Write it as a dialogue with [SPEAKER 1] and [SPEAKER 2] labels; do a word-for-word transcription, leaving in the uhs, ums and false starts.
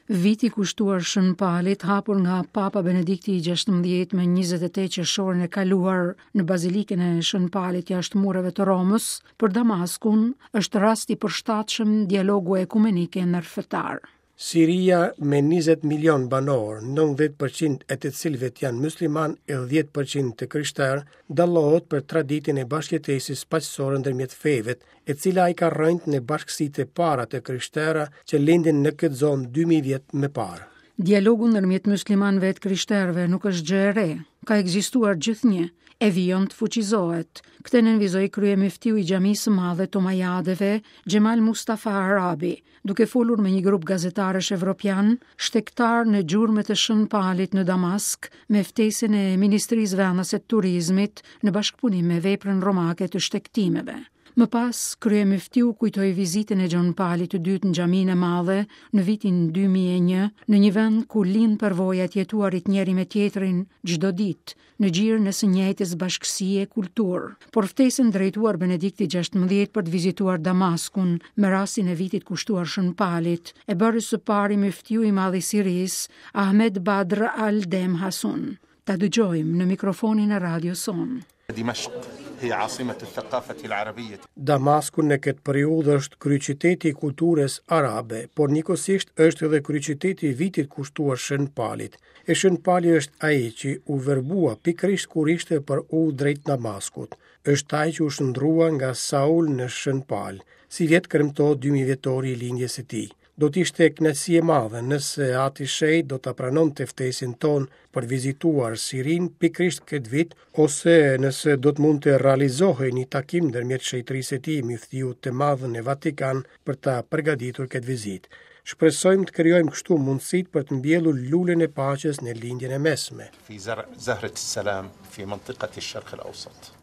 [SPEAKER 1] Viti kushtuar Shën Palit, hapur nga Papa Benedikti i gjashtëmbëdhjetë më njëzet e tetë qershorin e kaluar në Bazilikën e Shën Palit jashtë mureve të Romës, për Damaskun është rast i përshtatshëm dialogu ekumenik e ndërfetar.
[SPEAKER 2] Siria me njëzet milion banorë, nëntëdhjetë përqind e të cilëve janë musliman e dhjetë përqind të krishterë, dallohet për traditën e bashkëjetesës paqësore ndërmjet feve, e cila i ka rrënjët në bashkësitë e para të krishtera që lindin në këtë zonë dy mijë vjet më parë.
[SPEAKER 1] Dialogu ndërmjet muslimanëve e të krishterëve nuk është gjë e re, ka ekzistuar gjithnjë, e vijon të fuqizohet. Këtë nënvizoi kryemyftiu i Xhamisë së Madhe të Omajadeve, Xhemal Mustafa Arabi, duke folur me një grup gazetarësh evropian, shtegtar në gjurmët e Shën Palit në Damask, me ftesën e Ministrisë Vendase të Turizmit në bashkëpunim me veprën romake të shtegtimeve. Më pas, kryemyftiu kujtoi vizitën e Gjon Palit të dytë në Xhaminë e Madhe në vitin dy mijë e një, në një vend ku lind përvoja e jetuarit njëri me tjetrin çdo ditë, në gjirin e së njëjtës bashkësi e kulturë. Por ftesën drejtuar Benediktit gjashtëmbëdhjetë për të vizituar Damaskun me rastin e vitit kushtuar Shën Palit, e bëri së pari myftiu i madh i Sirisë, Ahmed Badr al-Dem Hasun. Ta dëgjojmë në mikrofonin e radios sonë.
[SPEAKER 3] Dimashq هي عاصمة الثقافة العربية.
[SPEAKER 2] Damasku në këtë periudhë është kryeqyteti i kulturës arabe, por njëkohësisht është edhe kryeqyteti i vitit kushtuar Shën Palit. E Shën Pali është ai që u verbua pikërisht kur ishte për udhë drejt Damaskut. Është ai që u shndrua nga Saul në Shën Pal, si vjet kremtohet dy mijë vjetori i lindjes së tij. Do të ishte kënaqësi e madhe nëse Ati Shejt do ta pranonte ftesën tonë për vizituar Sirinë pikërisht këtë vit, ose nëse do të mund të realizohej një takim ndërmjet shenjtërisë së tij, myftiut të madh në Vatikan, për ta përgatitur këtë vizitë. Shpresojmë të krijojmë kështu mundësitë për të mbjellur lulën e paqes në lindjen e mesme.
[SPEAKER 3] Fi zar-, zahret salam fi mantiqati al-Sharq al-Awsat.